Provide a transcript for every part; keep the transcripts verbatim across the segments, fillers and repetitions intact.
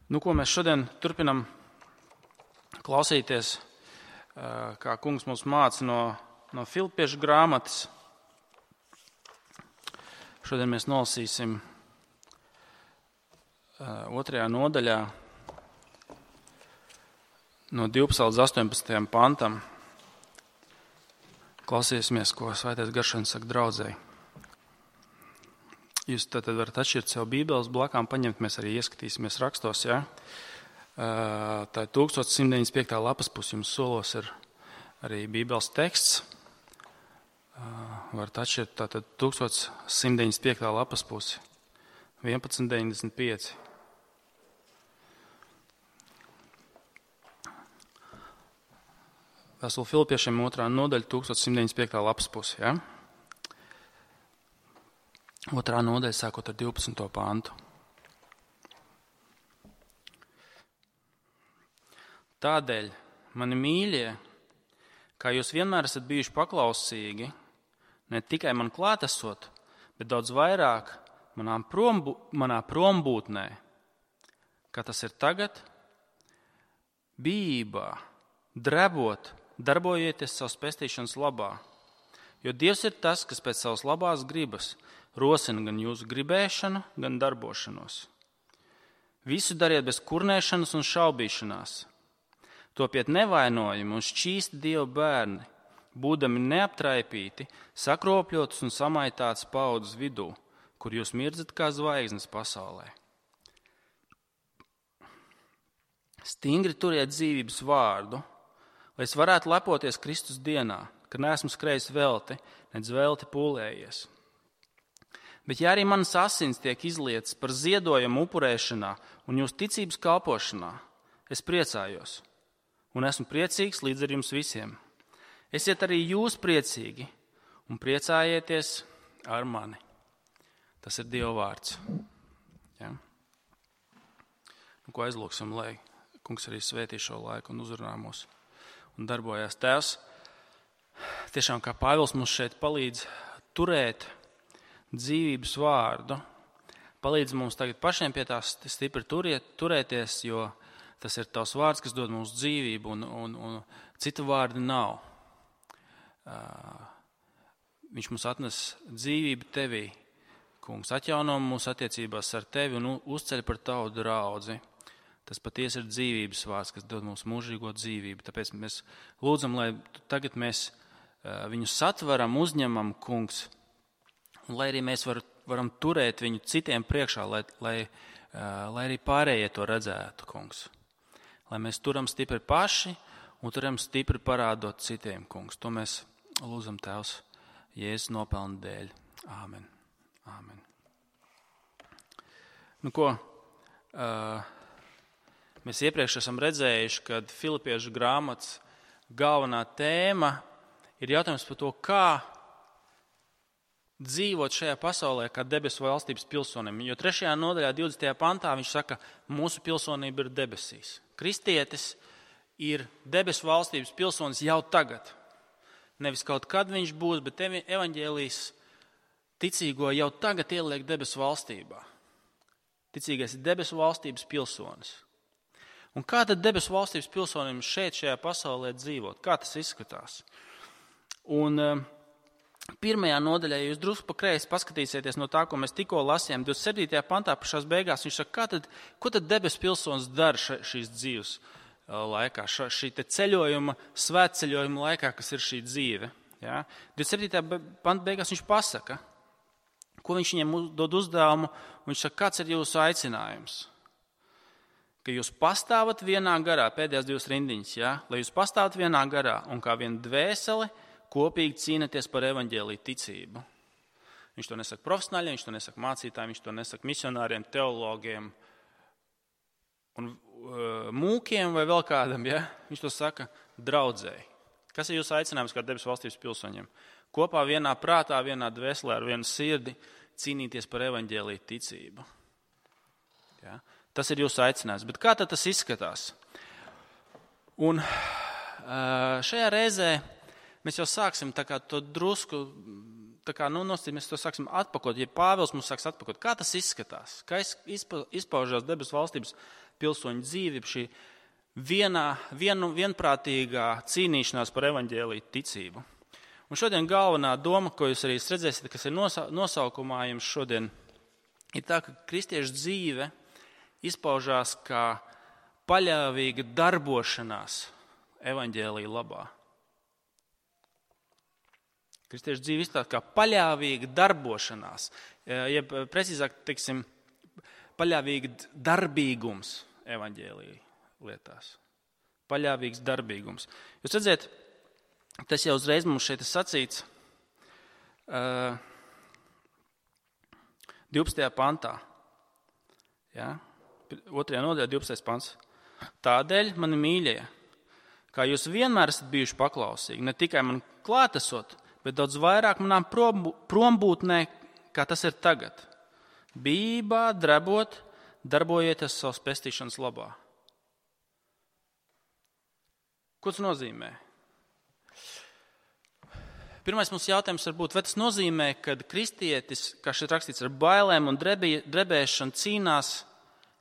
Nu, ko mēs šodien turpinam klausīties, kā kungs mums māca no, no Filipiešu grāmatas. Šodien mēs nolasīsim otrajā nodaļā no divpadsmitā līdz astoņpadsmitajam pantam. Klausīsimies, ko Svētais Garš saka draudzēji. Jūs tad varat atšķirt sev bībeles blakām, paņemt, mēs arī ieskatīsimies rakstos, ja? Tā ir tūkstoš simt deviņdesmit piekta lapas pusi, jums solos ir arī bībeles teksts. Varat atšķirt tātad tūkstoš simt deviņdesmit piekta lapas pusi, vienpadsmit deviņdesmit pieci. Vēstule Filipiešiem otrā nodaļa, tūkstoš simt deviņdesmit piekta lapas pusi, ja? Otrā nodaļa sākot ar divpadsmito pantu. Tādēļ, mani mīļie, kā jūs vienmēr esat bijuši paklausīgi, ne tikai man klātesot, bet daudz vairāk manā, prombu, manā prombūtnē, kā tas ir tagad, bijībā, drebot, darbojieties savas pestīšanas labā, jo Dievs ir tas, kas pēc savas labās gribas rosina gan jūsu gribēšanu, gan darbošanos. Visu dariet bez kurnēšanas un šaubīšanās. Topiet nevainojumi un šķīsti Dieva bērni, būdami neaptraipīti, sakropļotus un samaitāts paudzes vidū, kur jūs mirdzat kā zvaigznes pasaulē. Stingri turiet dzīvības vārdu, lai es varētu lepoties Kristus dienā, ka neesmu skrējis velti, nedz velti pūlējies. Bet ja arī manas asins tiek izlietas par ziedojumu upurēšanā un jūsu ticības kalpošanā, es priecājos un esmu priecīgs līdz ar jums visiem. Esiet arī jūs priecīgi un priecājieties ar mani. Tas ir Dieva vārds. Ja? Nu, ko aizlūksim, lai kungs arī svētī šo laiku un uzrunā mūs un darbojās. Tēvs, tiešām kā Pāvils mums šeit palīdz turēt dzīvības vārdu, palīdz mums tagad pašiem pie tās stipri turiet, turēties, jo tas ir tavs vārds, kas dod mums dzīvību, un, un, un citu vārdi nav. Uh, viņš mums atnes dzīvību tevī, kungs, atjauno mūsu attiecībās ar tevi un uzceļ par tavu draudzi. Tas patiesi ir dzīvības vārds, kas dod mums mūžīgo dzīvību. Tāpēc mēs lūdzam, lai tagad mēs uh, viņu satveram, uzņemam, kungs, un lai arī mēs var, varam turēt viņu citiem priekšā, lai, lai, uh, lai arī pārējie to redzētu, kungs. Lai mēs turam stipri paši un turam stipri parādot citiem, kungs. To mēs lūdzam Tēvs Jēzus nopelna dēļ. Āmen. Āmen. Nu ko, uh, mēs iepriekš esam redzējuši, kad Filipiešu grāmatas galvenā tēma ir jautājums par to, kā dzīvot šajā pasaulē kā debesu valstības pilsonim. Jo trešajā nodaļā, divdesmitajā pantā, viņš saka, mūsu pilsonība ir debesīs. Kristietis ir debesu valstības pilsonis jau tagad. Nevis kaut kad viņš būs, bet evaņģēlijs ticīgo jau tagad ieliek debesu valstībā. Ticīgais ir debesu valstības pilsonis. Un kā tad debesu valstības pilsonim šeit, šajā pasaulē dzīvot? Kā tas izskatās? Un pirmajā nodaļā, ja jūs drusku pa kreisi paskatīsieties no tā, ko mēs tikko lasījām, divdesmit septītajā pantā pašās beigās, viņš saka, kā tad, ko tad debesu pilsonis dara ša, šīs dzīves laikā, ša, šī te ceļojuma, svētceļojuma laikā, kas ir šī dzīve. Ja? divdesmit septītajā pantā beigās viņš pasaka, ko viņš viņiem dod uzdevumu, un viņš saka, kāds ir jūsu aicinājums. Ka jūs pastāvat vienā garā, pēdējās divas rindiņas, ja? Lai jūs pastāvat vienā garā un kā viena dvēsele, kopīgi cīnāties par evaņģēliju ticību. Viņš to nesaka profesionāļiem, viņš to nesaka mācītājiem, viņš to nesaka misionāriem, teologiem un uh, mūkiem vai vēl kādam. Ja? Viņš to saka draudzēji. Kas ir jūsu aicinājums kā debesu valstības pilsoņiem? Kopā vienā prātā, vienā dvēselē ar vienu sirdi cīnīties par evaņģēliju ticību. Ja? Tas ir jūsu aicinājums. Bet kā tad tas izskatās? Un uh, šajā reizē mēs jau sāksim tā kā to drusku, tā kā, nu, nostīt, mēs to sāksim atpakot, ja Pāvils mums sāks atpakot. Kā tas izskatās? Kā izpaužās debesu valstības pilsoņu dzīvi, šī vienā, vien, vienprātīgā cīnīšanās par evaņģēliju ticību. Un šodien galvenā doma, ko jūs arī redzēsiet, kas ir nosaukumā jums šodien, ir tā, ka kristiešu dzīve izpaužās kā paļāvīga darbošanās evaņģēlija labā. Kristiešu dzīve izpaužās kā paļāvīga darbošanās, jeb precīzāk, teiksim, paļāvīga darbīgums evaņģēlija lietās. Paļāvīgs darbīgums. Jūs redzēt, tas jau uzreiz mums šeit ir sacīts uh, divpadsmitajā pantā. Ja? Otrajā nodaļā divpadsmitais pants. Tādēļ, mani mīļie, kā jūs vienmēr esat bijuši paklausīgi, ne tikai man klātesot, bet daudz vairāk manām prombūtnē, kā tas ir tagad. Bībā, drebot, darbojieties savas pestīšanas labā. Ko tas nozīmē? Pirmais mums jautājums var būt, vai tas nozīmē, ka kristietis, kā šeit rakstīts, ar bailēm un drebī, drebēšanu cīnās,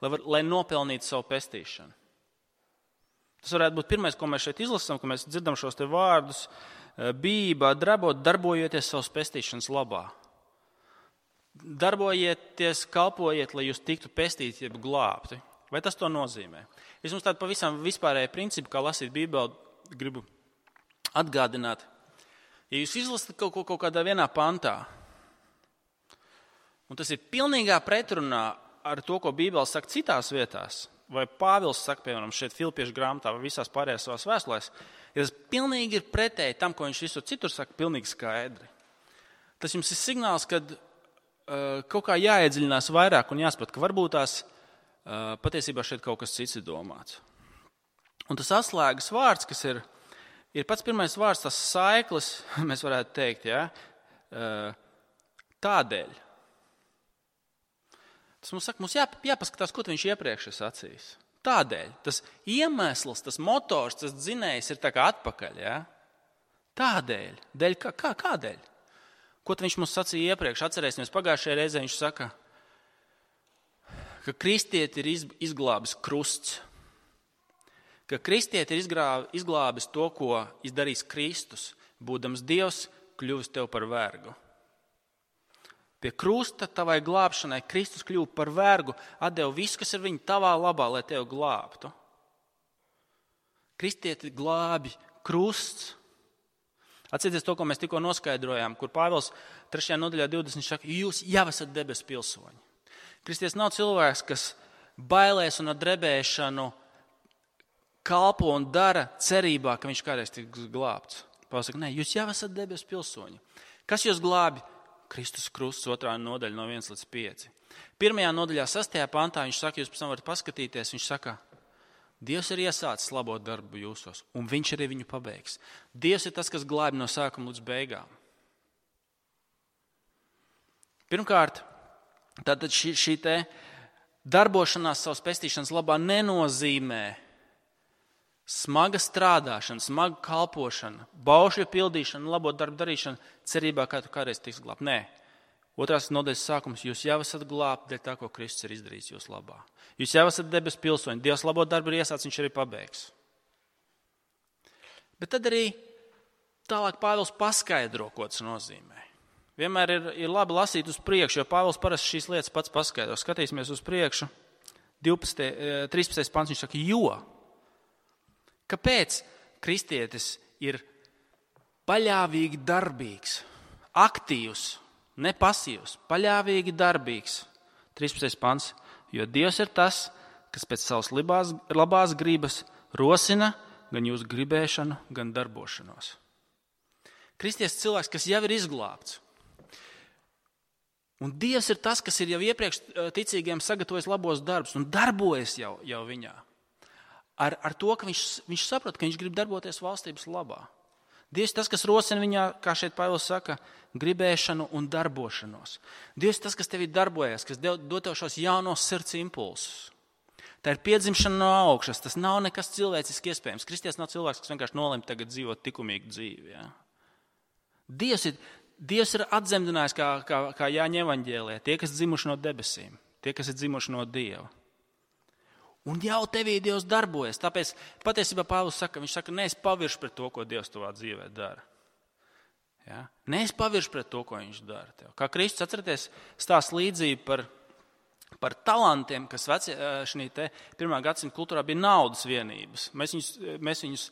lai, var, lai nopelnītu savu pestīšanu. Tas varētu būt pirmais, ko mēs šeit izlasām, ka mēs dzirdam šos te vārdus, bībā, drebot, darbojieties savas pestīšanas labā. Darbojieties, kalpojiet, lai jūs tiktu pestīti, jeb glābti. Vai tas to nozīmē? Es jums tādu pavisam vispārēju principu, kā lasīt Bībeli, gribu atgādināt. Ja jūs izlasat kaut ko kaut kādā vienā pantā, un tas ir pilnīgā pretrunā ar to, ko Bībele saka citās vietās, vai Pāvils saka, piemēram, šeit Filipiešu grāmatā vai visās pārējās savās vēstulēs, ja tas pilnīgi ir pretēji tam, ko viņš visur citur saka, pilnīgi skaidri. Tas jums ir signāls, kad uh, kaut kā jāiedziļinās vairāk un jāsaprot, ka varbūt tās uh, patiesībā šeit kaut kas cits ir domāts. Un tas atslēgas vārds, kas ir Ir pats pirmais vārds, tas saiklis, mēs varētu teikt, ja? Tādēļ. Tas mums saka, mums jā, jāpaskatās, ko viņš iepriekš ir sacījis. Tādēļ. Tas iemesls, tas motors, tas dzinējs ir tā kā atpakaļ. Ja? Tādēļ. Dēļ, kā, kā, kādēļ? Ko viņš mums sacīja iepriekš? Atcerēsimies, pagājušajā reizē viņš saka, ka kristieti ir izglābis krusts. Ka kristieti ir izglābis to, ko izdarīs Kristus, būdams Dievs, kļuvis tev par vergu. Pie krusta tavai glābšanai Kristus kļuva par vergu, atdeva visu, kas ir viņa tavā labā, lai tev glābtu. Kristieti glābi krusts. Atcerieties to, ko mēs tikko noskaidrojām, kur Pāvils trešajā nodaļā divdesmit saka, jūs jau esat debesu pilsoņi. Kristietis nav cilvēks, kas bailēs un ar drebēšanu kalpo un dara cerībā, ka viņš kādreiz tiks glābts. Pāvils saka, nē, jūs jau esat debesu pilsoņi. Kas jūs glābi? Kristus krusts, otrā nodaļa no viens līdz pieci. Pirmajā nodaļā, sastajā pantā, viņš saka, jūs pēc tam varat paskatīties, viņš saka, Dievs ir iesācis labo darbu jūsos, un viņš arī viņu pabeigs. Dievs ir tas, kas glābi no sākuma līdz beigām. Pirmkārt, tātad šī, šī te darbošanās savas pestīšanas labā nenozīmē smaga strādāšana, smaga kalpošana, baušļu pildīšana, labo darbu darīšana, cerībā, ka tu kādreiz tiks glābt. Nē. Otrās nodaļas sākums, jūs jau esat glābti dēļ tā, ko Kristus ir izdarījis jūs labā. Jūs jau esat debesu pilsoņi, Dievs labo darbu ir iesācis, viņš arī pabeigs. Bet tad arī tālāk Pāvils paskaidro, ko tas nozīmē. Vienmēr ir, ir labi lasīt uz priekšu, jo Pāvils parasti šīs lietas pats paskaidro. Skatīsimies uz priekšu, divpadsmitais, trīspadsmitais pants, viņš saka, jo. Kāpēc kristietis ir paļāvīgi darbīgs, aktīvs, ne pasīvs, paļāvīgi darbīgs? trīspadsmitais pants, jo Dievs ir tas, kas pēc savas labās, labās gribas rosina gan jūsu gribēšanu, gan darbošanos. Kristietis cilvēks, kas jau ir izglābts. Un Dievs ir tas, kas ir jau iepriekš ticīgiem sagatavojis labos darbus un darbojas jau, jau viņā. Ar, ar to, ka viņš, viņš saprot, ka viņš grib darboties valstības labā. Dievs ir tas, kas rosina viņā, kā šeit Pāvils saka, gribēšanu un darbošanos. Dievs ir tas, kas tevī darbojas, kas dod tev šos jaunos sirds impulsus. Tā ir piedzimšana no augšas, tas nav nekas cilvēciski iespējams. Kristietis nav cilvēks, kas vienkārši nolem tagad dzīvot likumīgu dzīvi. Ja? Dievs ir, Dievs ir atzemdinājis, kā, kā, kā Jāņa evaņģēlijā, tie, kas dzimuši no debesīm, tie, kas ir dzimuši no Dieva. Un jau tevī Dievs darbojas. Tāpēc patiesībā Pāvils saka, viņš saka, neesi pavirši pret to, ko Dievs tavā dzīvē dara. Ja? Neesi pavirši pret to, ko viņš dara tev. Kā Kristus, atceraties, stāst līdzību par, par talantiem, kas veci, šī te pirmā gadsimta kultūrā bija naudas vienības. Mēs viņus, mēs viņus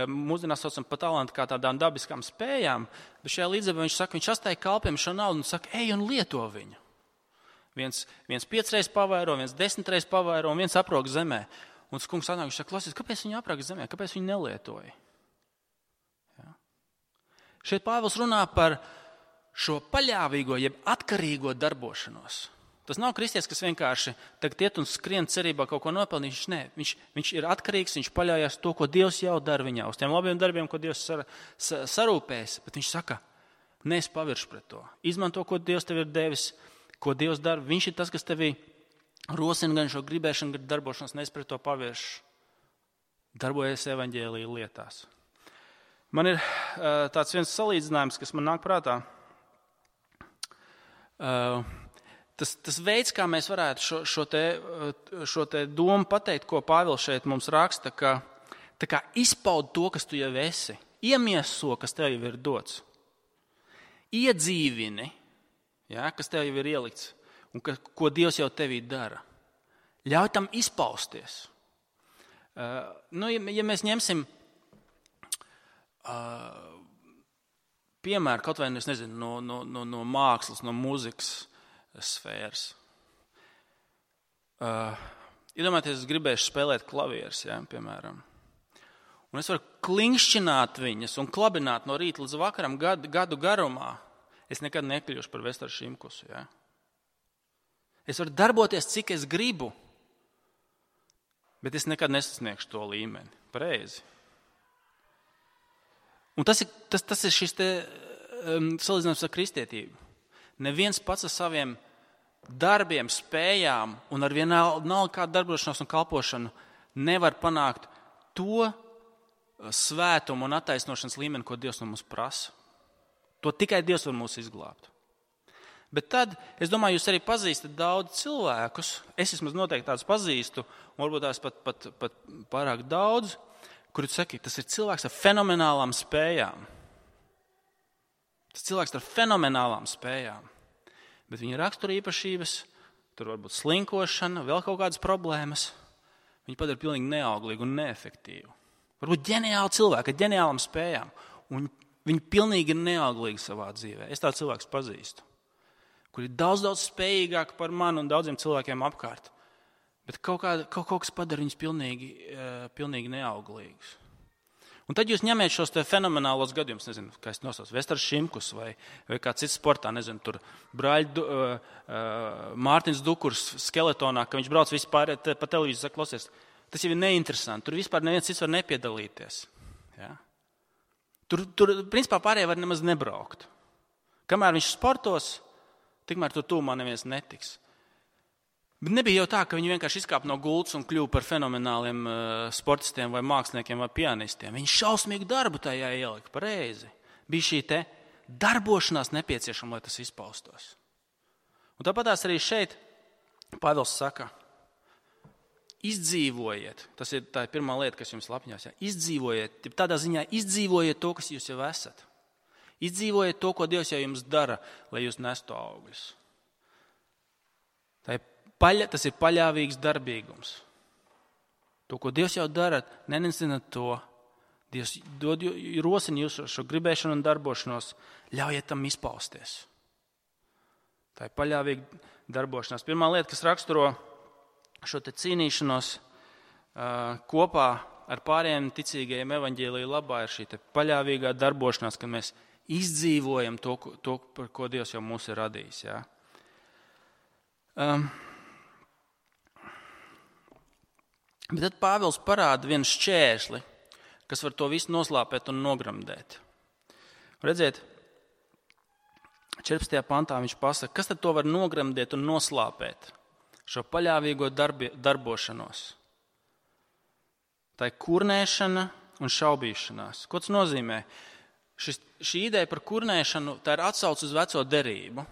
mūsdienās saucam par talantu kā tādām dabiskām spējām, bet šajā līdzībā viņš saka, viņš astāja kalpiem šo naudu un saka, ej un lieto viņu. Viens, viens piecreiz pavairo, viens desmitreiz pavairo un viens aprok zemē. Un tas kungs atnāk, viņš saka, klausies, kāpēc viņi aprok zemē, kāpēc viņi nelietoja? Ja? Šeit Pāvils runā par šo paļāvīgo, jeb atkarīgo darbošanos. Tas nav kristietis, kas vienkārši tagad iet un skrien cerībā kaut ko nopelnīt. Viņš, ne, viņš, viņš ir atkarīgs, viņš paļaujas to, ko Dievs jau dara viņā, uz tiem labiem darbiem, ko Dievs sar, sa, sarūpēs. Bet viņš saka, neesi pavirši pret to. Izmanto, ko Dievs tev ir devis, ko Dievs dara. Viņš ir tas, kas tevī rosina gan šo gribēšanu, gan darbošanos, neesi pret to pavirši. Darbojies evaņģēlija lietās. Man ir uh, tāds viens salīdzinājums, kas man nāk prātā. Uh, Tas, tas veids, kā mēs varētu šo, šo, te, šo te domu pateikt, ko Pāvils šeit mums raksta, ka tā kā izpaud to, kas tu jau esi, iemieso, kas tev jau ir dots, iedzīvini, ja, kas tev jau ir ielikts un ka, ko Dievs jau tevī dara. Ļauj tam izpausties. Uh, nu, ja, ja mēs ņemsim uh, piemēru kaut vai, es nezinu, no, no, no, no mākslas, no mūzikas, sfēras. Uh, Iedomājieties, es gribēšu spēlēt klavierus, ja, piemēram. Un es varu klinkšķināt viņas un klabināt no rīta līdz vakaram gadu, gadu garumā. Es nekad nekļūšu par Vestaru Šimkusu. Ja. Es varu darboties, cik es gribu, bet es nekad nesasniegšu to līmeni. Pareizi. Un tas ir, tas, tas ir šis te um, salīdzinājums ar kristietību. Neviens pats ar saviem darbiem, spējām un ar vienalga kādu darbošanos un kalpošanu nevar panākt to svētumu un attaisnošanas līmeni, ko Dievs no mums prasa. To tikai Dievs var mūs izglābt. Bet tad, es domāju, jūs arī pazīstat daudz cilvēkus, es vismaz noteikti tādus pazīstu, un varbūt tās pat, pat, pat pārāk daudz, kuri saka, tas ir cilvēks ar fenomenālām spējām. Tas cilvēks ar fenomenālām spējām, bet viņa rakstura īpašības, tur var būt slinkošana, vēl kaut kādas problēmas, viņa padara pilnīgi neauglīgu un neefektīvu. Varbūt ģeniāli cilvēki ar ģeniālām spējām, un viņi pilnīgi ir neauglīgi savā dzīvē. Es tādu cilvēku pazīstu, kuri ir daudz, daudz spējīgāki par mani un daudziem cilvēkiem apkārt, bet kaut, kā, kaut, kaut kas padara viņus pilnīgi, pilnīgi neauglīgus. Un tad jūs ņemiet šos te fenomenālos gadījumus, nezinu, kā es nosaucu, Vestars Šimkus vai, vai kā cits sportā, nezinu, tur brāļi du, uh, uh, Mārtiņš Dukurs skeletonā, ka viņš brauc vispār te, pa televīziju, saka, klausies, tas jau ir neinteresanti, tur vispār neviens cits var nepiedalīties. Ja? Tur, tur, principā, pārējie var nemaz nebraukt. Kamēr viņš sportos, tikmēr tur tūmā neviens netiks. Bet nebija jau tā, ka viņi vienkārši izkāpa no gultas un kļuva par fenomenāliem uh, sportistiem vai māksliniekiem vai pianistiem. Viņi šausmīgu darbu tajā ielika, pareizi. Bija šī te darbošanās nepieciešama, lai tas izpaustos. Un tāpatās arī šeit Pāvils saka, izdzīvojiet, tas ir tā pirmā lieta, kas jums lapņās, ja? Izdzīvojiet, tādā ziņā izdzīvojiet to, kas jūs jau esat. Izdzīvojiet to, ko Dievs jau jums dara, lai jūs nestu augļus. Tā ir Paļa, tas ir paļāvīgs darbīgums. To, ko Dievs jau dara, nenesināt to. Dievs dod, rosina jūs šo gribēšanu un darbošanos, ļaujiet tam izpausties. Tā ir paļāvīga darbošanās. Pirmā lieta, kas raksturo šo te cīnīšanos uh, kopā ar pārējiem ticīgajiem evaņģēlija labā, ir šī te paļāvīgā darbošanās, kad mēs izdzīvojam to, to par ko Dievs jau mūs ir radījis. Ja? Um, Bet tad Pāvils parāda vienu šķērsli, kas var to visu noslāpēt un nogramdēt. Redziet, četrpadsmitajā pantā viņš pasaka, kas tad to var nogramdēt un noslāpēt? Šo paļāvīgo darbi, darbošanos. Tā ir kurnēšana un šaubīšanās. Ko tas nozīmē? Šis, šī ideja par kurnēšanu, tā ir atsauce uz veco derību.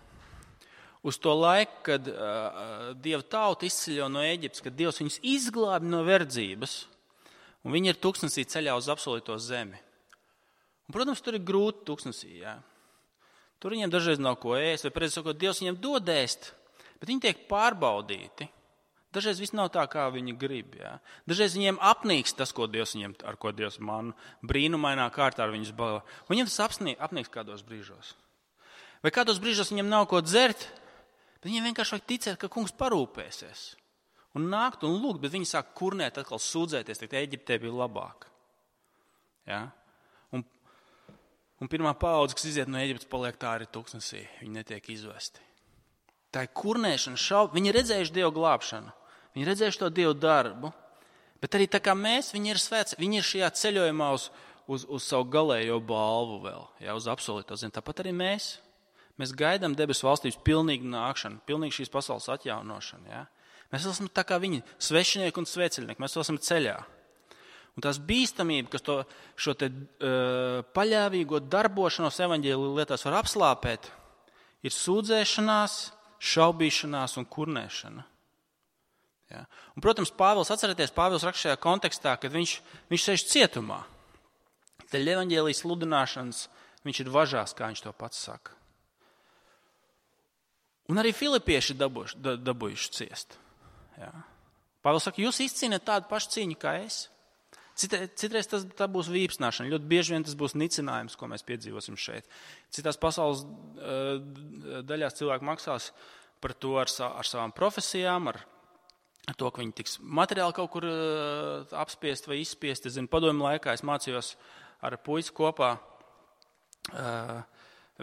uz to laiku, kad uh, Dieva tauta izceļo no Ēģiptes, kad Dievs viņus izglābi no verdzības, un viņi ir tūkstnesī ceļā uz apsolīto zemi. Un, protams, tur ir grūti tūkstnesī, jā. Tur viņiem dažreiz nav ko ēst, vai precīzi sakot, Dievs viņiem dod ēst, bet viņi tiek pārbaudīti. Dažreiz viss nav tā, kā viņi grib. Jā. Dažreiz viņiem apnīks tas, ko Dievs viņiem, ar ko Dievs man brīnumainā kārtā ar viņus balvo. Viņiem tas apnīk, apnīks kādos brīžos. Vai kādos brīžos viņiem nav ko dzert, bet viņiem vienkārši vajag ticēt, ka kungs parūpēsies. Un nākt un lūgt, bet viņi sāk kurnēt, atkal sūdzēties, teikt, Ēģiptē bija labāk. Jā. Un, un pirmā paudze, kas iziet no Ēģiptes, paliek tā arī tūkstnesī. Viņi netiek izvesti. Tā ir kurnēšana, šauba. Viņi ir redzējuši Dievu glābšanu. Viņi redzējuši to Dievu darbu, bet arī tā kā mēs, viņi ir svēts, viņi ir šajā ceļojumā uz, uz, uz savu galējo balvu vēl, jā, uz apsolīto zemi. Tāpat arī mēs. Mēs gaidām debesu valstības pilnīgu nākšanu, pilnīgu šīs pasaules atjaunošanu. Jā. Mēs esam tā kā viņi, svešinieki un sveceļnieki, mēs esam ceļā. Un tās bīstamība, kas to, šo te uh, paļāvīgo darbošanos evaņģēliju lietās var apslāpēt, ir sūdzēšanās, šaubīšanās un kurnēšana. Ja. Un, protams, Pāvils, atcerieties, Pāvils raksta šajā kontekstā, kad viņš, viņš sēž cietumā. Tad evaņģēlijas sludināšanas viņš ir važās, kā viņš to pats saka. Un arī filipieši dabūjuši, dabūjuši ciest. Ja. Pāvils saka, jūs izcīnāt tādu pašu cīņu kā es. Citreiz, citreiz tas tā būs vīpsnāšana, ļoti bieži vien tas būs nicinājums, ko mēs piedzīvosim šeit. Citās pasaules uh, daļās cilvēki maksās par to ar, sa, ar savām profesijām, ar Ar to, ka viņi tiks materiāli kaut kur uh, apspiest vai izspiest. Es zinu, padomju laikā es mācījos ar puisi kopā uh,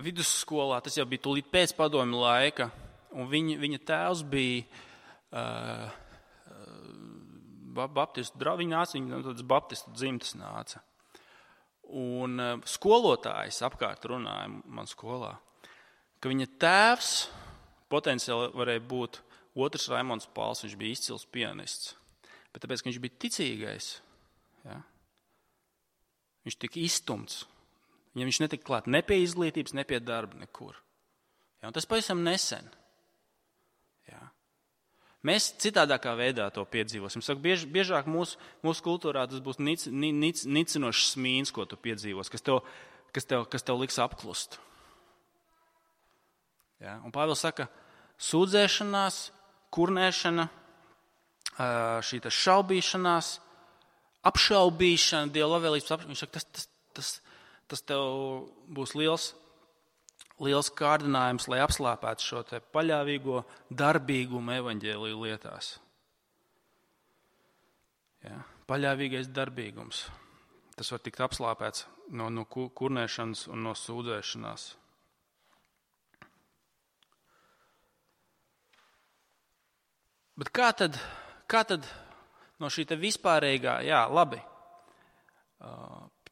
vidusskolā. Tas jau bija tūlīt pēc padomju laika. Un viņa, viņa tēvs bija uh, baptistu draugs. Viņa nāca, viņa no tādas baptistu dzimtas nāca. Un uh, skolotājs apkārt runāja man skolā, ka viņa tēvs potenciāli varēja būt otrs Raimons Pāls, viņš bija izcils pianists. Bet tāpēc, ka viņš bija ticīgais, ja, viņš tika izstumts. Viņam viņš netika klāt ne pie izglītības, ne pie darba nekur. Ja, un tas pavisam nesen. Ja. Mēs citādākā veidā to piedzīvosim. Saku, biež, biežāk mūsu, mūsu kultūrā tas būs nic, nic, nicinošs smīns, ko tu piedzīvos, kas tev, kas tev, kas tev liks apklust. Ja, un Pāvils saka, sūdzēšanās, kurnēšana, šī šaubīšanās, apšaubīšana, Dieva labvēlības apšaubīšana. Viņš saka, tas, tas, tas, tas tev būs liels, liels kārdinājums, lai apslāpētu šo te paļāvīgo darbīgumu evaņģēliju lietās. Ja, paļāvīgais darbīgums. Tas var tikt apslāpēts no, no kurnēšanas un no sūdzēšanās. Bet kā tad, kā tad no šī te vispārīgā, jā, labi,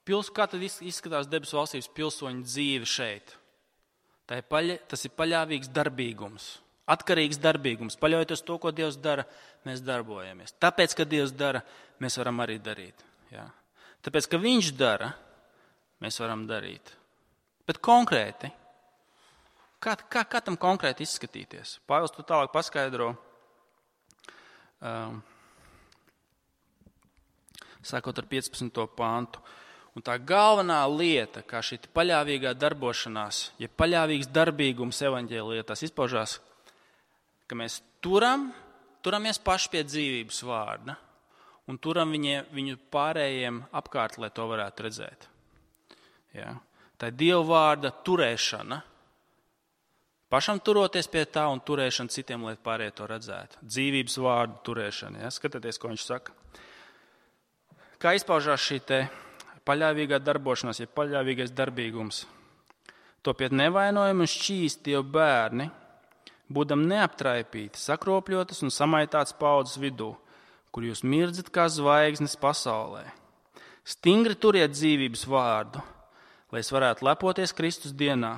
pils, kā tad izskatās debesu valstības pilsoņu dzīve šeit? Tā ir paļa, tas ir paļāvīgs darbīgums, atkarīgs darbīgums. Paļaujoties to, ko Dievs dara, mēs darbojamies. Tāpēc, ka Dievs dara, mēs varam arī darīt. Jā. Tāpēc, ka Viņš dara, mēs varam darīt. Bet konkrēti, kā, kā, kā tam konkrēti izskatīties? Pāvils to tālāk paskaidro. Um, sākot ar piecpadsmito pāntu. Un tā galvenā lieta, kā šī paļāvīgā darbošanās, ja paļāvīgs darbīgums evaņģēlietās izpaužās, ka mēs turam, turamies paši pie dzīvības vārda un turam viņie, viņu pārējiem apkārt, lai to varētu redzēt. Ja? Tā ir Dieva vārda turēšana. Pašam turoties pie tā un turēšana citiem, lai pārējie to redzētu. Dzīvības vārdu turēšana. Ja? Skatieties, ko viņš saka. Kā izpaužās šī te paļāvīgā darbošanās, ja paļāvīgais darbīgums. Topiet nevainojami un šķīsti jau bērni, būdam neaptraipīti, sakropļotas un samaitāts paudzes vidū, kur jūs mirdzat kā zvaigznes pasaulē. Stingri turiet dzīvības vārdu, lai es varētu lepoties Kristus dienā,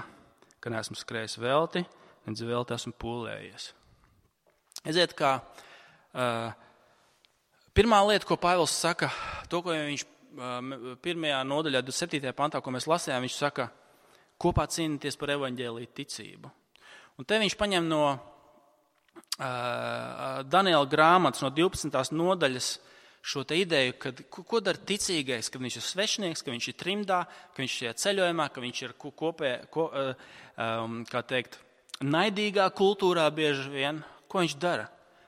ka neesmu skrējis velti, nedz velti esmu pūlējies. Eziet, kā uh, pirmā lieta, ko Pāvils saka, to, ko viņš uh, pirmajā nodaļā, divdesmit septītajā pantā, ko mēs lasījām, viņš saka, kopā cīnīties par evaņģēliju ticību. Un te viņš paņem no uh, Daniela grāmatas, no divpadsmitās nodaļas, šo te ideju, kad, ko, ko dara ticīgais, kad viņš ir svešinieks, ka viņš ir trimdā, ka viņš ir šajā ceļojumā, ka viņš ir kopē, ko, um, kā teikt, naidīgā kultūrā bieži vien. Ko viņš dara?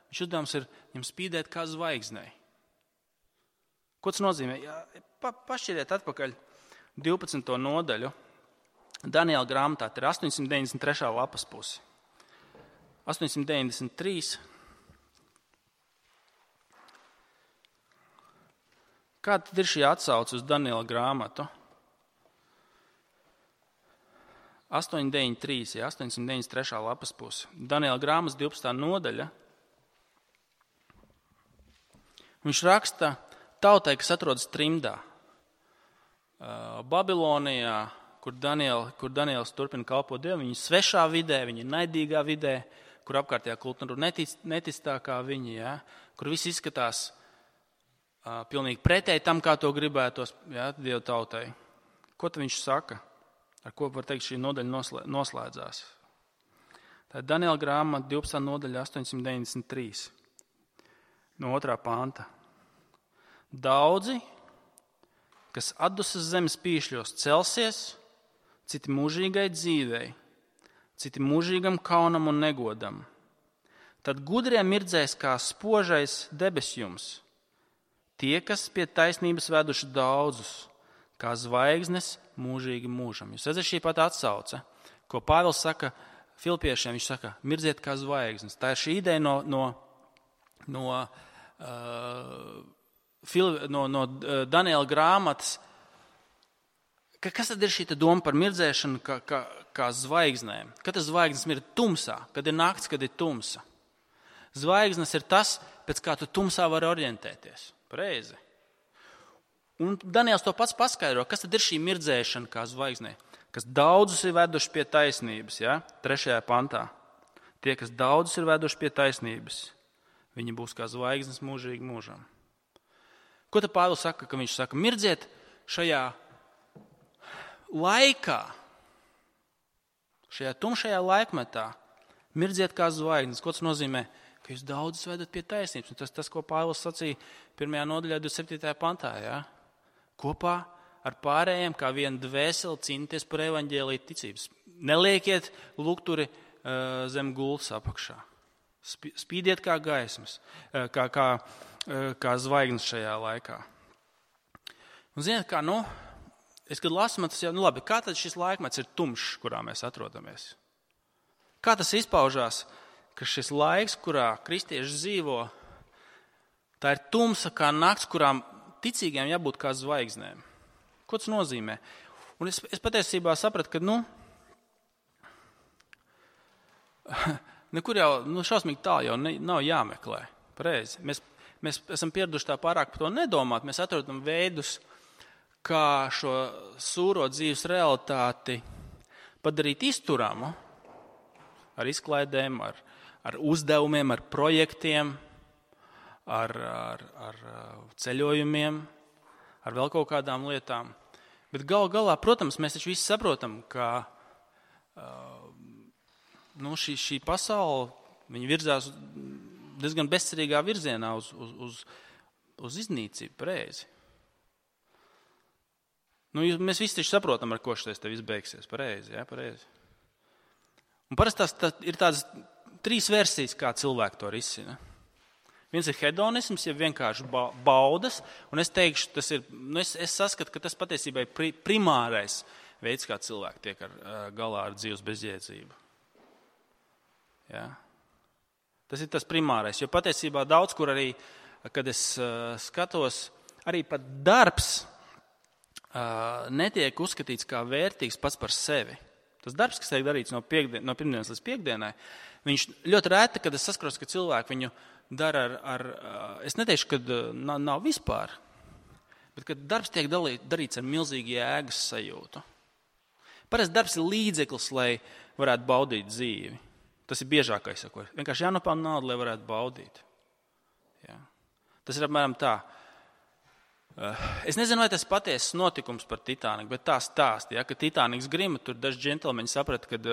Viņš uzdevums ir viņam spīdēt kā zvaigznei. Ko tas nozīmē? Jā, pa, pašķiriet atpakaļ divpadsmito nodaļu. Daniela grāmatā ir astoņsimt deviņdesmit trešā lapas pusi. astoņsimt deviņdesmit trīs. Kāda tad ir šī atsauce uz Daniela grāmatu? astoņsimt deviņdesmit trīs, ja, astoņsimt deviņdesmit trešā lapas pusi. Daniela grāmatas divpadsmitā nodaļa. Viņš raksta tautai, kas atrodas trimdā, Babilonijā, kur, Daniel, kur Daniels turpina kalpot Dievu. Viņi ir svešā vidē, viņi ir naidīgā vidē, kur apkārtējā kultūra netic, neticīgākā viņi, ja, kur viss izskatās uh, pilnīgi pretēji tam, kā to gribētos, ja, Dieva tautai. Ko tad viņš saka? Ar ko var teikt šī nodaļa noslēdzās? Tā ir Daniela grāmata divpadsmitā nodaļa astoņsimt deviņdesmit trīs. No otrā panta. Daudzi, kas atdusas zemes pīšļos celsies, citi mūžīgai dzīvei, citi mūžīgam kaunam un negodam. Tad gudrie mirdzēs kā spožais debesjums, tie, kas pie taisnības veduši daudzus, kā zvaigznes mūžīgi mūžam. Jūs redzat šī pat atsauce, ko Pāvils saka Filipiešiem, viņš saka, mirdziet kā zvaigznes. Tā ir šī ideja no, no, no, uh, Fil, no, no Daniela grāmatas, ka kas tad ir šī doma par mirdzēšanu kā, kā, kā zvaigznēm? Kad tas zvaigznes ir tumsā, kad ir nakts, kad ir tumsa. Zvaigznes ir tas, pēc kā tu tumsā vari orientēties. Pareizi. Un Daniels to pats paskaidro, kas tad ir šī mirdzēšana kā zvaigznē, kas daudzus ir veduši pie taisnības, ja? Trešajā pantā. Tie, kas daudzus ir veduši pie taisnības, viņi būs kā zvaigznes mūžīgi mūžam. Ko tad Pāvils saka, ka viņš saka, mirdziet šajā laikā, šajā tumšajā laikmetā, mirdziet kā zvaigznes. Ko tas nozīmē? Ka jūs daudzus vedat pie taisnības. Un tas, tas, ko Pāvils sacīja pirmajā nodaļā divdesmit septītajā pantā. Ja? Kopā ar pārējiem, kā viena dvēseli, cīnīties par evaņģēliju ticības. Neliekiet lukturi uh, zem gultas apakšā. Spīdiet kā gaismas, uh, kā, kā, uh, kā zvaigznes šajā laikā. Un ziniet, kā, nu, es kad lasu, man tas jau, nu labi, kā tad šis laikmets ir tumšs, kurā mēs atrodamies? Kā tas izpaužās, ka šis laiks, kurā kristieši dzīvo, tā ir tumsa kā nakts, kurām ticīgiem jābūt kā zvaigznēm? Ko tas nozīmē? Un es, es patiesībā sapratu, ka, nu, nekur jau, nu, šausmīgi tālu jau ne, nav jāmeklē. Pareizi. Mēs, mēs esam pieraduši tā pārāk par to nedomāt. Mēs atrodam veidus, kā šo sūro dzīves realitāti padarīt izturamu ar izklaidēm, ar, ar uzdevumiem, ar projektiem, ar, ar, ar ceļojumiem, ar vēl kaut kādām lietām. Bet gal galā, protams, mēs taču visi saprotam, ka uh, nu, šī, šī pasaule, viņa virzās diezgan bezcerīgā virzienā uz, uz, uz, uz iznīcību, pareizi. Nu, mēs visi taču saprotam, ar ko šis te viss beigsies, pareizi, jā, pareizi. Un parasti tās tā, ir tādas trīs versijas, kā cilvēki to risina. Viens ir hedonisms, ja vienkārši baudas, un es teikšu, tas ir, nu es, es saskatu, ka tas patiesībā ir pri, primārais veids, kā cilvēki tiek ar, galā ar dzīves bezjēdzību. Ja? Tas ir tas primārais, jo patiesībā daudz, kur arī, kad es uh, skatos, arī pat darbs uh, netiek uzskatīts kā vērtīgs pats par sevi. Tas darbs, kas tiek darīts no, piekdien, no pirmdienas līdz piekdienai, viņš ļoti rēti, kad es saskaros, ka cilvēki viņu dara ar, ar es neteikšu, ka nav, nav vispār, bet kad darbs tiek dalīt, darīts ar milzīgu jēgas sajūtu. Parasti darbs ir līdzeklis, lai varētu baudīt dzīvi. Tas ir biežākais, ko vienkārši jānopelna naudu, lai varētu baudīt. Ja. Tas ir apmēram tā. Es nezinu, vai tas patiesas notikums par Titaniku, bet tā stāsta, ja, ka Titaniks grima, tur daži džentelmeņi saprata, kad,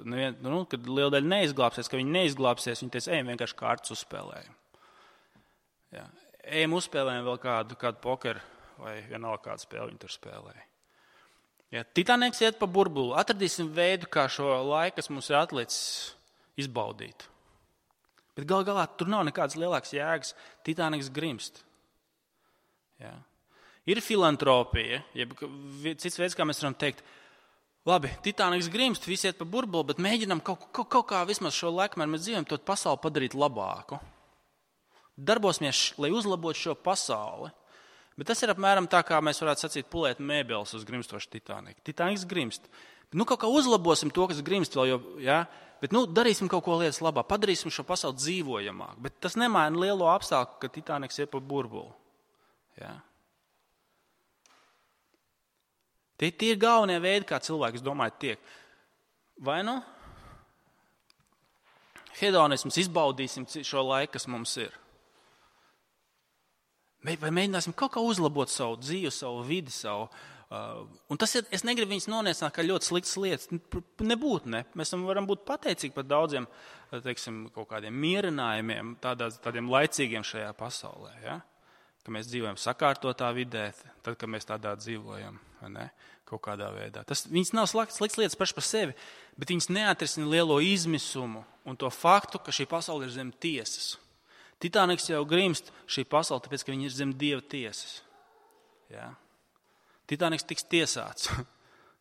nevien, nu, kad liela daļa neizglābsies, ka viņi neizglābsies, viņi teica, ejam vienkārši kārtas uzspēlējam. Ja. Ejam uzspēlējam vēl kādu, kādu pokeru vai vienalga kādu spēli viņi tur spēlēja. Ja, Titaniks iet pa burbuli, atradīsim veidu, kā šo laiku, kas mums ir atlicis, izbaudīt. Bet gal galā tur nav nekādas lielākas jēgas, Titaniks grimst. Ja. Ir filantropija, jeb cits veids, kā mēs varam teikt, labi, Titaniks grimst, visi iet pa burbuli, bet mēģinām kaut, kaut, kaut kā vismaz šo laikmēr mēs dzīvojam, to pasauli padarīt labāku. Darbosimies, lai uzlabotu šo pasauli. Bet tas ir apmēram tā, kā mēs varētu sacīt pulēt mēbeles uz grimstošu Titaniku. Titaniks grimst. Nu, kaut kā uzlabosim to, kas grimst vēl, jo, ja? Bet nu, darīsim kaut ko lietas labā, padarīsim šo pasauli dzīvojamāk. Bet tas nemaina lielo apstākļu, ka Titaniks iet pa burbuli. Ja? Tie, tie ir galvenie veidi, kā cilvēks domāja tiek. Vai nu? Hedonisms, izbaudīsim šo laiku, kas mums ir. Vai mēģināsim kaut kā uzlabot savu dzīvi, savu vidi, savu. Uh, un tas ir, es negribu viņus noniecināt, kā ļoti sliktas lietas. Nebūt, ne. Mēs varam būt pateicīgi par daudziem, teiksim, kaut kādiem mierinājumiem, tādās, tādiem laicīgiem šajā pasaulē. Ja? Ka mēs dzīvojam sakārtotā vidē, tad, kad mēs tādā dzīvojam, ne? Kaut kādā veidā. Tas, viņas nav sliktas lietas paši par sevi, bet viņas neatrisina lielo izmisumu un to faktu, ka šī pasaule ir zem tiesas. Titaniks jau grimst šī pasaule, tāpēc, ka viņi ir zem Dieva tiesas. Ja? Titaniks tiks tiesāts.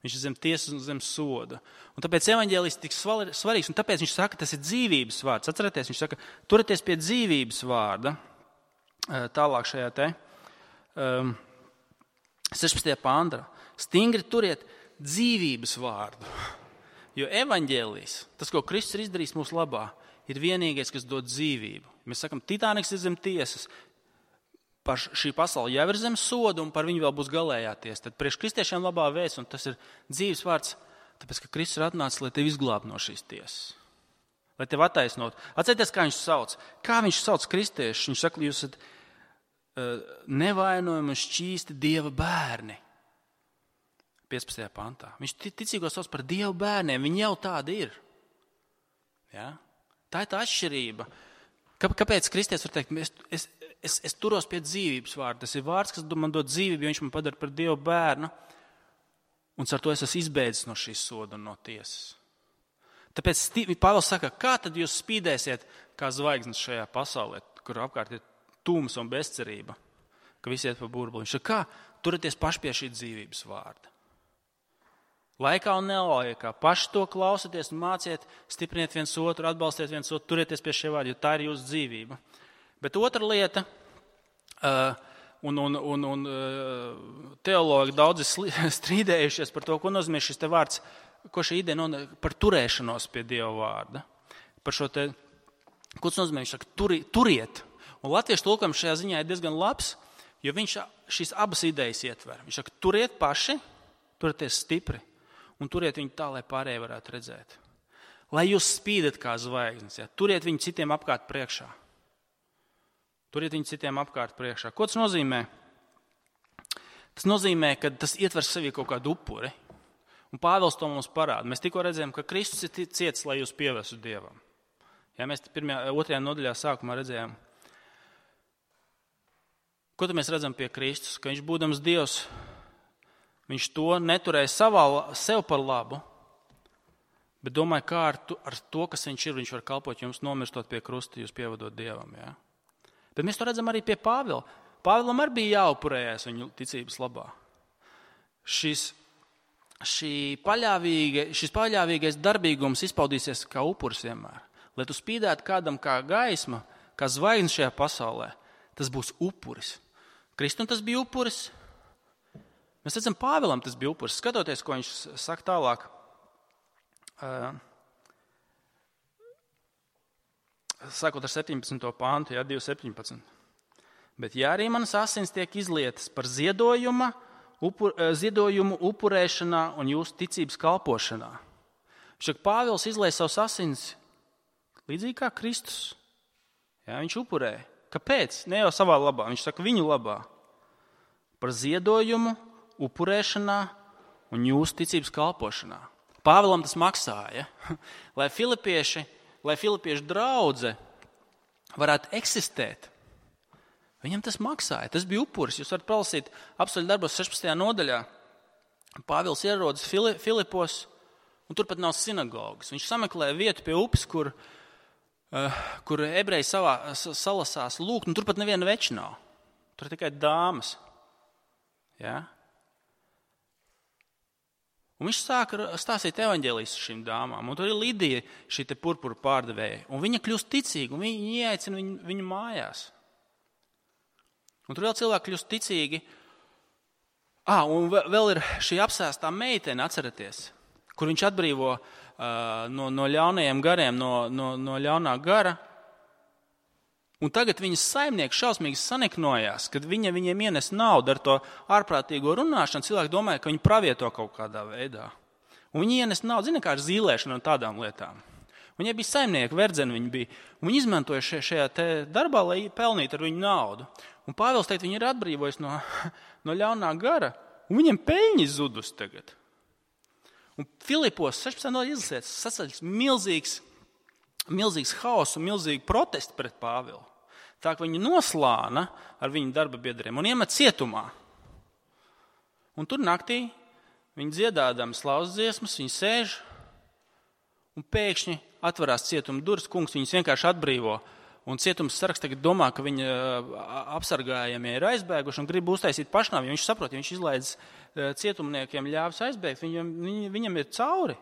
Viņš ir zem tiesas un zem soda. Un tāpēc evaņģēlijs ir tik svarīgs, un tāpēc viņš saka, tas ir dzīvības vārds. Atcerieties, viņš saka, turieties pie dzīvības vārda. Tālāk šajā te um, sešpadsmitajā pāntā. Stingri turiet dzīvības vārdu. Jo evaņģēlijs, tas, ko Kristus ir izdarījis mūsu labā, ir vienīgais, kas dod dzīvību. Mēs sakam, Titaniks ir zem tiesas. Par šī pasaule jau ir zem soda, un par viņu vēl būs galējā tiesa. Tad priekš kristiešiem labā vēsts, un tas ir dzīves vārds, tāpēc, ka Kristus ir atnācis, lai tevi izglābtu no šīs tiesas. Lai tevi attaisnot. Atcerieties, kā viņš sauc. Kā viņš sauc kristiešus? Viņš saka, jūs esat uh, nevainojami un šķīsti Dieva bērni. piecpadsmitajā pantā. Viņš ticīgos sauc par Dieva bērniem. Viņi jau tādi ir. Ja? Tā ir tā atšķirība. Kāpēc kristietis var teikt, es, es, es, es turos pie dzīvības vārda. Tas ir vārds, kas man dod dzīvību, jo viņš man padara par Dieva bērnu. Un ar to es esmu izbēdzis no šīs soda un no tiesas. Tāpēc Pāvils saka, kā tad jūs spīdēsiet kā zvaigznes šajā pasaulē, kur apkārt ir tūms un bezcerība, ka visi iet pa burbuli. Viņš saka, kā turieties paši pie šī dzīvības vārda. Laikā un nelaikā. Paši to klausieties un māciet, stipriniet viens otru, atbalstiet viens otru, turieties pie šie vārdi, jo tā ir jūsu dzīvība. Bet otra lieta, uh, un, un, un, un uh, teologi daudzi strīdējušies par to, ko nozīmē šis te vārds, ko šī ideja nozīmē par turēšanos pie Dieva vārda. Par šo te, ko tas nozīmē, viņš saka, turi, turiet. Un latviešu tulkojums šajā ziņā ir diezgan labs, jo viņš šīs abas idejas ietver. Viņš saka, turiet paši, turieties stipri. Un turiet viņu tā, lai pārējie varētu redzēt. Lai jūs spīdat kā zvaigznes, ja? Turiet viņu citiem apkārt priekšā. Turiet viņu citiem apkārt priekšā. Ko tas nozīmē? Tas nozīmē, ka tas ietver sevī kaut kādu upuri. Un Pāvils to mums parāda. Mēs tikko redzējām, ka Kristus ir ciets, lai jūs pievestu Dievam. Ja, mēs pirmajā, otrajā nodaļā sākumā redzējām. Ko tad mēs redzam pie Kristus? Ka viņš būdams Dievs, viņš to neturēja savā, sev par labu, bet domāja, kā ar to, ar to, kas viņš ir, viņš var kalpot jums, nomirstot pie krusta, jūs pievadot Dievam. Ja? Bet mēs to redzam arī pie Pāvila. Pāvilam arī bija jāupurējas viņu ticības labā. Šis, šī paļāvīga, šis paļāvīgais darbīgums izpaudīsies kā upuris vienmēr. Lai tu spīdētu kādam kā gaisma, kā zvaigznes šajā pasaulē, tas būs upuris. Kristum tas bija upuris. Mēs redzam, Pāvilam tas bija upuris. Skatoties, ko viņš saka tālāk. Uh, sākot ar septiņpadsmito pāntu, jā, divi septiņpadsmit. Bet ja arī manas asins tiek izlietas par ziedojuma, upur, ziedojumu upurēšanā un jūsu ticības kalpošanā. Viņš saka, Pāvils izlieja savus asins līdzīgi kā Kristus. Jā, viņš upurēja. Kāpēc? Ne jau savā labā. Viņš saka, viņu labā. par ziedojumu, upurēšanā un jūsu ticības kalpošanā. Pāvilam tas maksāja, lai filipieši, lai filipiešu draudze varētu eksistēt. Viņam tas maksāja, tas bija upuris. Jūs varat palasīt apstuļu darbos sešpadsmitajā nodaļā. Pāvils ierodas Filipos, un tur pat nav sinagogas. Viņš sameklē vietu pie upes, kur, uh, kur ebreji savā, salasās lūgt, un tur pat neviena veča nav. Tur ir tikai dāmas. Ja? Un viņš sāka stāstīt evaņģēlijas šīm dāmām. Un tur ir Lidija, šī te purpura pārdevēja. Un viņa kļūst ticīga, un viņa ieaicina viņu, viņu mājās. Un tur vēl cilvēki kļūst ticīgi. Ah, un vēl ir šī apsēstā meitene, atceraties, kur viņš atbrīvo uh, no, no ļaunajiem gariem, no, no, no ļaunā gara. Un tagad viņas saimnieki šausmīgi saniknojās, kad viņa viņiem ienes naudu ar to ārprātīgo runāšanu. Cilvēki domāja, ka viņi pravieto kaut kādā veidā. Un viņi ienes naudu, zina, kā ar zīlēšanu un tādām lietām. Viņai bija saimnieki, verdzeni viņi bija. Un viņi izmantoja šajā, šajā te darbā, lai pelnītu ar viņu naudu. Un Pāvils teikt, viņi ir atbrīvojis no, no ļaunā gara, un viņiem peļņi zudus tagad. Un Filipos sešpadsmitajā nodaļā izlasiet, saceļas milzīgs, milzīgs haoss un milzīgi protesti pret Pāvilu. Tā ka viņu noslāna ar viņu darba biedriem un iemet cietumā. Un tur naktī viņi dziedādami slauz dziesmas, viņi sēž, un pēkšņi atverās cietuma durvis, kungs viņus vienkārši atbrīvo. Un cietums sargs tagad domā, ka viņa apsargājamie ir aizbēguši un grib uztaisīt pašnāvi. Viņš saprot, ja viņš izlaidz cietumniekiem ļāvis aizbēgt, viņam, viņam ir cauri.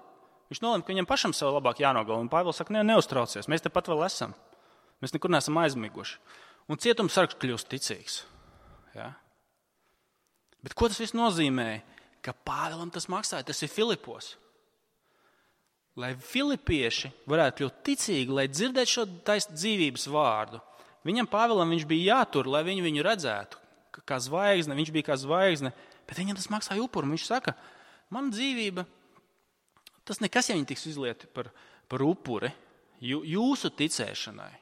Viņš nolēma, ka viņam pašam sev labāk jānogalina. Un Pāvils saka, ne, neuztraucies, mēs te pat vēl esam. Mēs nekur neesam aizmiguši. Un cietums sargs kļūst ticīgs. Ja? Bet ko tas viss nozīmē? Ka Pāvilam tas maksāja, tas ir Filipos. Lai filipieši varētu kļūt ticīgi, lai dzirdētu šo taisnu dzīvības vārdu. Viņam Pāvilam viņš bija jātur, lai viņu viņu redzētu, kā zvaigzne, viņš bija kā zvaigzne, bet viņam tas maksāja upuru. Viņš saka, man dzīvība, tas nekas, ja viņi tiks izlieti par, par upuri, jūsu ticēšanai.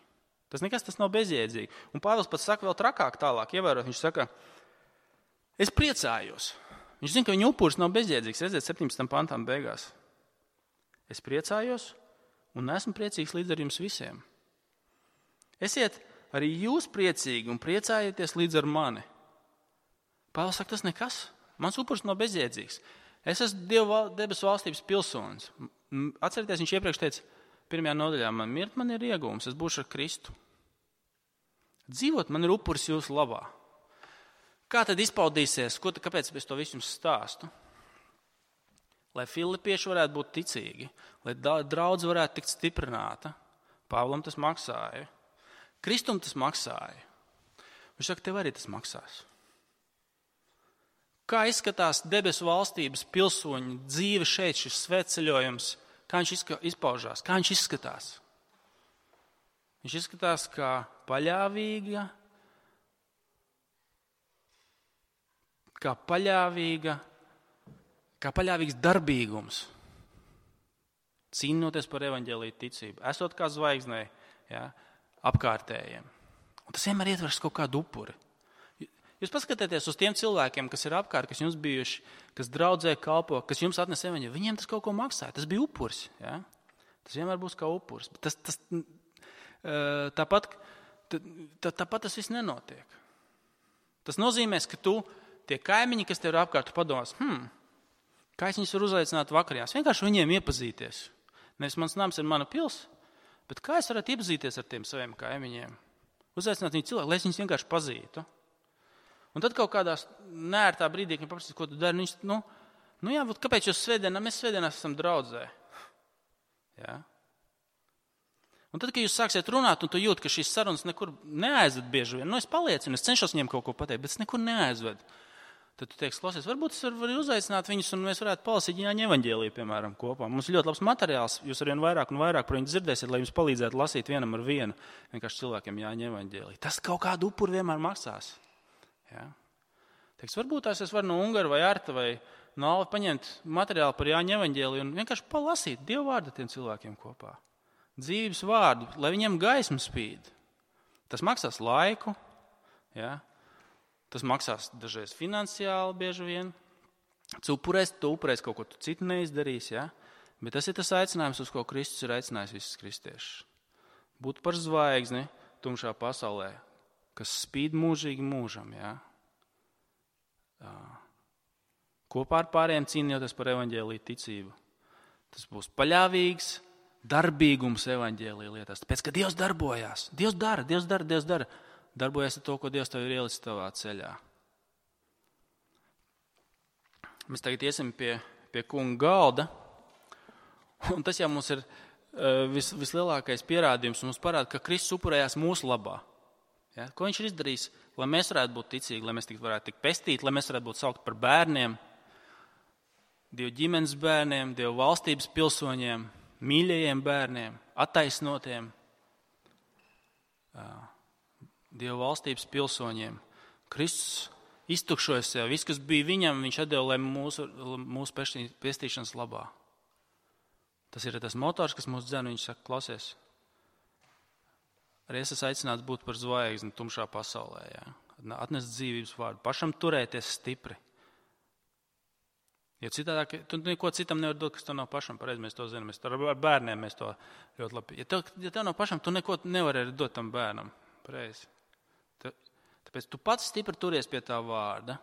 Tas nekas, tas nav bezjēdzīgi. Un Pāvils pats saka vēl trakāk tālāk, ievērot, viņš saka, es priecājos. Viņš zina, ka viņa upuris nav bezjēdzīgs, redziet, septiņpadsmitajam pantām beigās. Es priecājos un esmu priecīgs līdz ar jums visiem. Esiet arī jūs priecīgi un priecājieties līdz ar mani. Pāvils saka, tas nekas. Mans upuris nav bezjēdzīgs. Es esmu Dieva debesu valstības pilsonis. Atcerieties, viņš iepriekš teica, pirmajā nodaļā, man mirt man ir iegūms, es būšu ar Kristu. Dzīvot man ir upuris jūsu labā. Kā tad izpaudīsies? Ko, kāpēc es to visu jums stāstu? Lai filipieši varētu būt ticīgi, lai draudze varētu tikt stiprināta. Pāvilam tas maksāja. Kristum tas maksāja. Viņš saka, tev arī tas maksās. Kā izskatās debesu valstības pilsoņu dzīve šeit, šis svētceļojums, kā viņš izpaužās, kā viņš izskatās? Viņš izskatās kā paļāvīga, kā paļāvīga, kā paļāvīgs darbīgums, cīnoties par evaņģēliju ticību, esot kā zvaigznē, ja, apkārtējiem. Un tas vienmēr ietvers kaut kādu upuri. Jūs paskatieties uz tiem cilvēkiem, kas ir apkārt, kas jums bijuši, kas draudzē kalpo, kas jums atnes evaņģēliju, viņiem tas kaut ko maksāja, tas bija upuris. Ja? Tas vienmēr būs kā upuris. Bet tas, tas, tāpat, tā, tāpat tas viss nenotiek. Tas nozīmēs, ka tu, tie kaimiņi, kas tev ir apkārt, tu padomās, hmm, kā es viņus varu uzaicināt vakarījās? Vienkārši viņiem iepazīties. Nevis mans nams ir mana pils, bet kā es varētu iepazīties ar tiem saviem kaimiņiem? Uzaicināt viņu cilvēku, lai es viņus vienkārši pazītu. Un tad kaut kādās neērtā brīdī, kad paprasīs, ko tu dari, viņš, nu, nu jā, kāpēc jūs svētdienā, mēs svētdienās esam draudzē? Jā. Un tad, kad jūs sāksiet runāt, un tu jūt, ka šīs sarunas nekur neaizved bieži vien, nu es paliecinu, es cenšos viņiem kaut ko pateikt, bet es nekur neaizved. Tad tu teiksi, klausies, varbūt es varu uzaicināt viņus, un mēs varētu palasīt Jāņa evaņģēliju, piemēram, kopā. Mums ir ļoti labs materiāls, jūs arvien vairāk un vairāk par viņu dzirdēsiet, lai jums palīdzētu lasīt vienam ar vienu, vienkārši cilvēkiem Jāņa evaņģēliju. Tas kaut kādu upuru vienmēr maksās. Ja? Teiks, varbūt tās es varu no Ungara vai Arta vai no Alva paņemt materiālu par Jāņa evaņģēliju un vienkārši palasīt Dievu vārdu tiem cilvēkiem kopā. Dzīves vārdu, lai viņiem gaisma spīd. Tas maksās laiku, ja? Tas maksās dažreiz finansiāli bieži vien. Tu upurēsi, tu upurēsi kaut ko tu citu neizdarīsi, ja? Bet tas ir tas aicinājums, uz ko Kristus ir aicinājis visus kristiešus. Būt par zvaigzni tumšā pasaulē, kas spīd mūžīgi mūžam, ja? Kopā ar pārējiem cīnījoties par evaņģēliju ticību. Tas būs paļāvīgs darbīgums evaņģēlija lietās. Tāpēc, ka Dievs darbojās. Dievs dara, Dievs dara, Dievs dara. Darbojas ar to, ko Dievs tev ir ielicis tavā ceļā. Mēs tagad iesim pie, pie kunga galda. Un tas jau mums ir vis, vislielākais pierādījums. Mums parāda, ka Kristus upurējās mūsu labā. Ja? Ko viņš ir izdarījis? Lai mēs varētu būt ticīgi, lai mēs varētu tikt pestīti, lai mēs varētu būt saukt par bērniem, Dieva ģimenes bērniem, Dieva valstības pilsoņiem, mīļajiem bērniem, attaisnotiem, Dieva valstības pilsoņiem. Kristus iztukšoja sev. Viss, kas bija viņam, viņš atdeva, lai mūsu, mūsu pestīšanas labā. Tas ir tas motors, kas mūs dzen, viņš saka, klausies. Arī es esmu aicināts būt par zvaigzni tumšā pasaulē. Jā. Atnest dzīvības vārdu. Pašam turēties stipri. Jo citādāk, tu neko citam nevar dot, kas tev nav pašam pareizi, mēs to zinām. Mēs to ar bērniem mēs to ļoti labi. Ja tev, ja tev nav pašam, tu neko nevari arī dot tam bērnam. Pareizi. Tāpēc tu pats stipri turies pie tā vārda,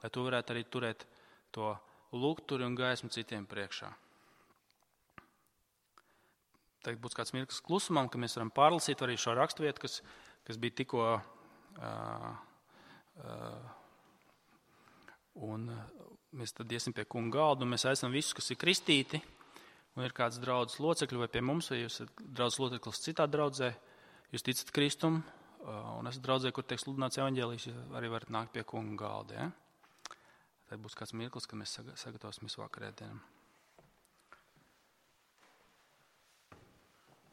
lai tu varētu arī turēt to lukturi un gaismu citiem priekšā. Tagad būs kāds mirklis klusumam, ka mēs varam pārlasīt arī šo raksturvietu, kas, kas bija tikko uh, uh, un mēs tad iesim pie kunga galda, un mēs aicinām visus, kas ir kristīti, un ir kāds draudzes locekļi vai pie mums, vai jūs esat draudzes loceklis citā draudzē, jūs ticat Kristum, un esat draudzē, kur tiek sludināts evaņģēlijs, jūs arī varat nākt pie kunga galda. Ja? Tad būs kāds mirklis, kad mēs sagatavosimies vakarēdienam.